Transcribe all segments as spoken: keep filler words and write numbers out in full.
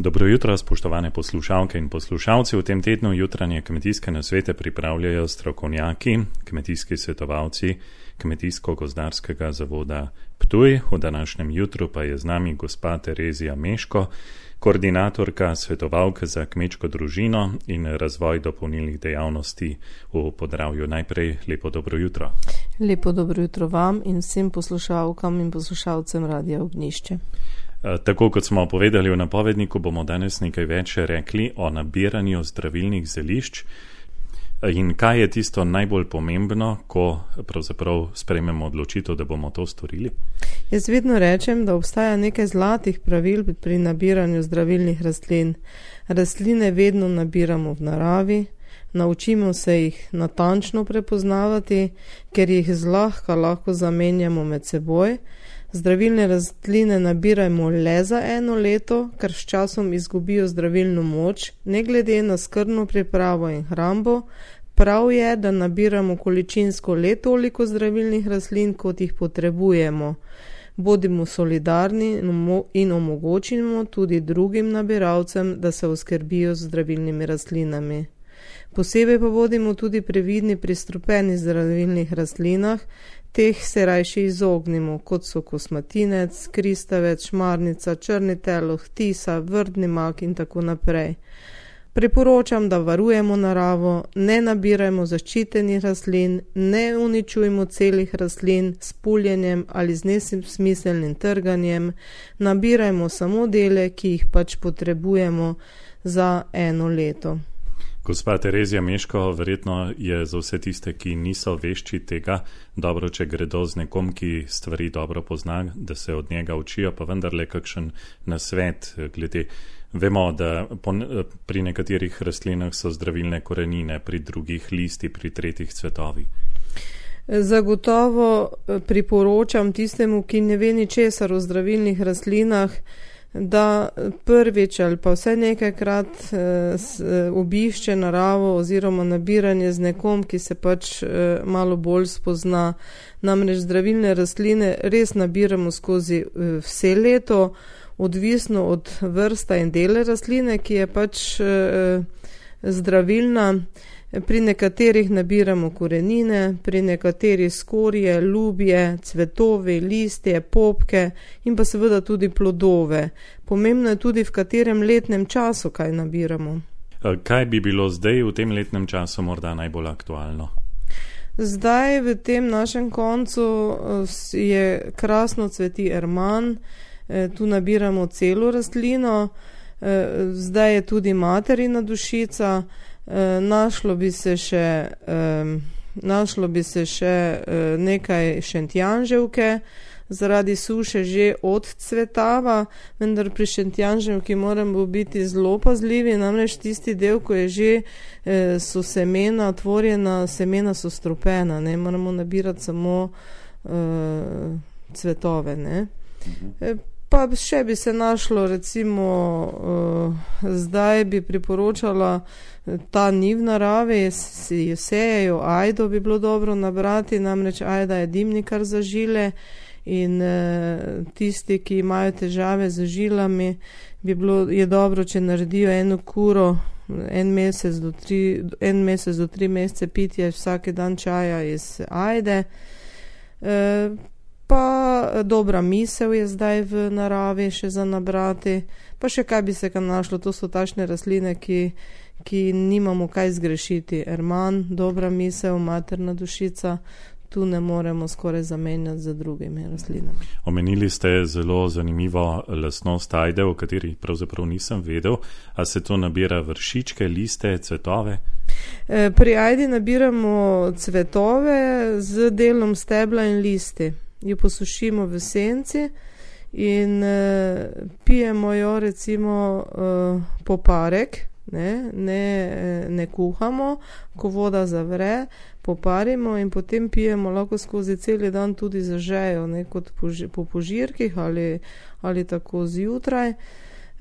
Dobro jutro, spoštovane poslušalke in poslušalci. V tem tednu jutranje kmetijske nasvete pripravljajo strokovnjaki, kmetijski svetovalci Kmetijsko-gozdarskega zavoda Ptuj. V današnjem jutru pa je z nami gospa Terezija Meško, koordinatorka svetovalke za kmečko družino in razvoj dopolnilnih dejavnosti v Podravju. Najprej lepo dobro jutro. Lepo dobro jutro vam in vsem poslušalkam in poslušalcem Radia Ognjišče. Tako kot smo povedali v napovedniku, bomo danes nekaj več rekli o nabiranju zdravilnih zelišč in kaj je tisto najbolj pomembno, ko pravzaprav sprejmemo odločitev, da bomo to storili. Jaz vedno rečem, da obstaja nekaj zlatih pravil pri nabiranju zdravilnih rastlin. Rastline vedno nabiramo v naravi, naučimo se jih natančno prepoznavati, ker jih zlahka lahko zamenjamo med seboj. Zdravilne rastline nabirajmo le za eno leto, ker s časom izgubijo zdravilno moč, ne glede na skrbno pripravo in hrambo. Prav je, da nabiramo količinsko le toliko zdravilnih rastlin, kot jih potrebujemo. Bodimo solidarni in omogočimo tudi drugim nabiralcem, da se oskrbijo z zdravilnimi rastlinami. Posebej pa bodimo tudi previdni pri strupenih zdravilnih rastlinah. Teh se rajše izognimo, kot so kosmatinec, kristavec, šmarnica, črni teloh, tisa, vrdni mak in tako naprej. Priporočam, da varujemo naravo, ne nabirajmo zaščitenih rastlin, ne uničujmo celih rastlin s puljenjem ali z nesmiselnim trganjem, nabirajmo samo dele, ki jih pač potrebujemo za eno leto. Gospa Terezija Meško, verjetno je za vse tiste, ki niso vešči tega, dobro, če gredo z nekom, ki stvari dobro pozna, da se od njega učijo, pa vendarle kakšen nasvet glede. Vemo, da pri nekaterih rastlinah so zdravilne korenine, pri drugih listi, pri tretjih cvetovi. Zagotovo priporočam tistemu, ki ne ve ničesar o zdravilnih rastlinah, da prvič ali pa vsaj nekajkrat obišče naravo oziroma nabiranje z nekom, ki se pač malo bolj spozna. Namreč zdravilne rastline res nabiramo skozi vse leto, odvisno od vrsta in dele rastline, ki je pač zdravilna. Pri nekaterih nabiramo korenine, pri nekaterih skorje, lubje, cvetovi, listje, popke in pa seveda tudi plodove. Pomembno je tudi, v katerem letnem času kaj nabiramo. Kaj bi bilo zdaj v tem letnem času morda najbolj aktualno? Zdaj v tem našem koncu je krasno cveti erman, tu nabiramo celo rastlino, zdaj je tudi materina dušica. Našlo bi se še, našlo bi se še nekaj šentjanževke, zaradi suše že odcvetava, vendar pri šentjanževki moramo biti zelo pazljivi, namreč tisti del, ko je že so semena otvorjena, semena so strupena, ne moramo nabirati samo uh, cvetove, ne. Uh-huh. Pa še bi se našlo, recimo, uh, zdaj bi priporočala, ta ni v naravi, si sejejo ajdo, bi bilo dobro nabrati, namreč ajda je dimnikar za žile in uh, tisti, ki imajo težave z žilami, bi bilo, je dobro, če naredijo eno kuro, en mesec do tri, en mesec do tri mesece pitje vsake dan čaja iz ajde. Uh, Pa dobra misel je zdaj v naravi še za nabrati, pa še kaj bi se kam našlo, to so tašne rastline, ki, ki nimamo kaj zgrešiti. Erman, dobra misel, materna dušica, tu ne moremo skoraj zamenjati z drugimi rastlinami. Omenili ste zelo zanimivo lastnost ajde, o kateri pravzaprav nisem vedel, a se to nabira vršičke, liste, cvetove? Pri ajdi nabiramo cvetove z delom stebla in listi. Jo posušimo v senci in uh, pijemo jo recimo uh, poparek, ne, ne, ne kuhamo, ko voda zavre, poparimo in potem pijemo lahko skozi celi dan tudi zažejo, ne, kot poži, po požirkih ali, ali tako zjutraj.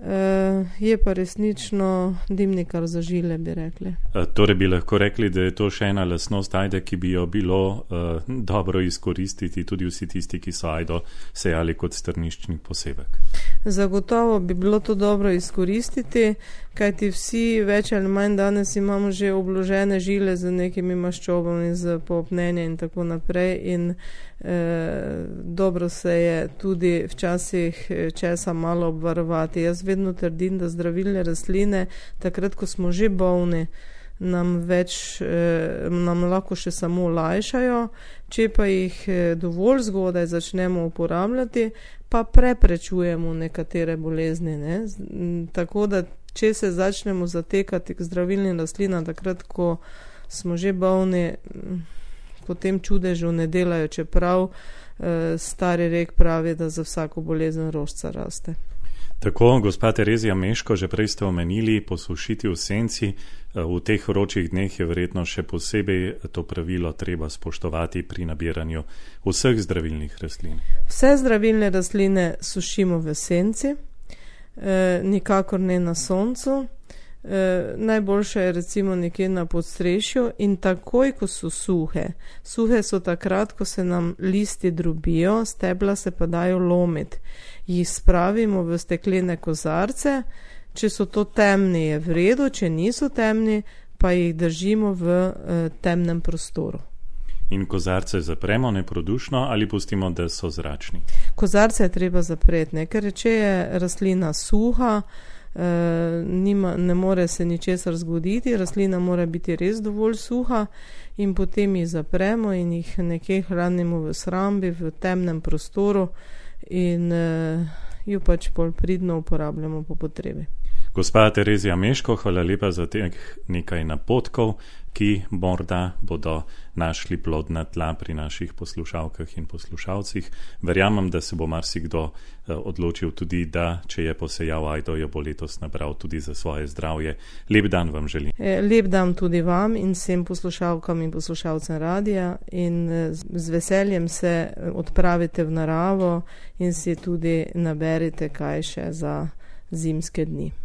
Uh, je pa resnično dimnikar za žile, bi rekli. Torej bi lahko rekli, da je to še ena lastnost ajde, ki bi jo bilo uh, dobro izkoristiti tudi vsi tisti, ki so ajdo sejali kot strniščni posevek. Zagotovo bi bilo to dobro izkoristiti, kajti vsi več ali manj danes imamo že obložene žile z nekimi maščobami, z popnenjem in tako naprej in eh, dobro se je tudi včasih česa malo obvarovati. Jaz vedno trdim, da zdravilne rastline, takrat, ko smo že bolni, nam več, eh, nam lahko še samo olajšajo, če pa jih dovolj zgodaj začnemo uporabljati, pa preprečujemo nekatere bolezni. Ne? Tako da, če se začnemo zatekati k zdravilnim rastlinam, takrat, ko smo že bolni, potem čudežu ne delajo, čeprav eh, stari rek pravi, da za vsako bolezen rožica raste. Tako, gospa Terezija Meško, že prej ste omenili posušiti v senci. V teh vročih dneh je verjetno še posebej to pravilo treba spoštovati pri nabiranju vseh zdravilnih rastlin. Vse zdravilne rastline sušimo v senci, eh, nikakor ne na soncu. E, najboljše je recimo nekje na podstrešju in takoj, ko so suhe. Suhe so takrat, ko se nam listi drobijo, stebla se pa dajo lomiti. Jih spravimo v steklene kozarce, če so to temni je v redu, če niso temni, pa jih držimo v e, temnem prostoru. In kozarce zapremo neprodušno ali pustimo, da so zračni? Kozarce je treba zapreti, ne? Ker če je rastlina suha, Uh, nima, ne more se ničesar zgoditi, rastlina mora biti res dovolj suha in potem jih zapremo in jih nekje hranimo v shrambi, v temnem prostoru in uh, jo pač bolj pridno uporabljamo po potrebi. Gospa Terezija Meško, hvala lepa za teh nekaj napotkov, ki morda bodo našli plodna tla pri naših poslušalkah in poslušalcih. Verjamem, da se bo marsikdo odločil tudi, da če je posejal ajdo, jo bo letos nabral tudi za svoje zdravje. Lep dan vam želim. Lep dan tudi vam in vsem poslušalkam in poslušalcem radija in z veseljem se odpravite v naravo in si tudi naberite kaj še za zimske dni.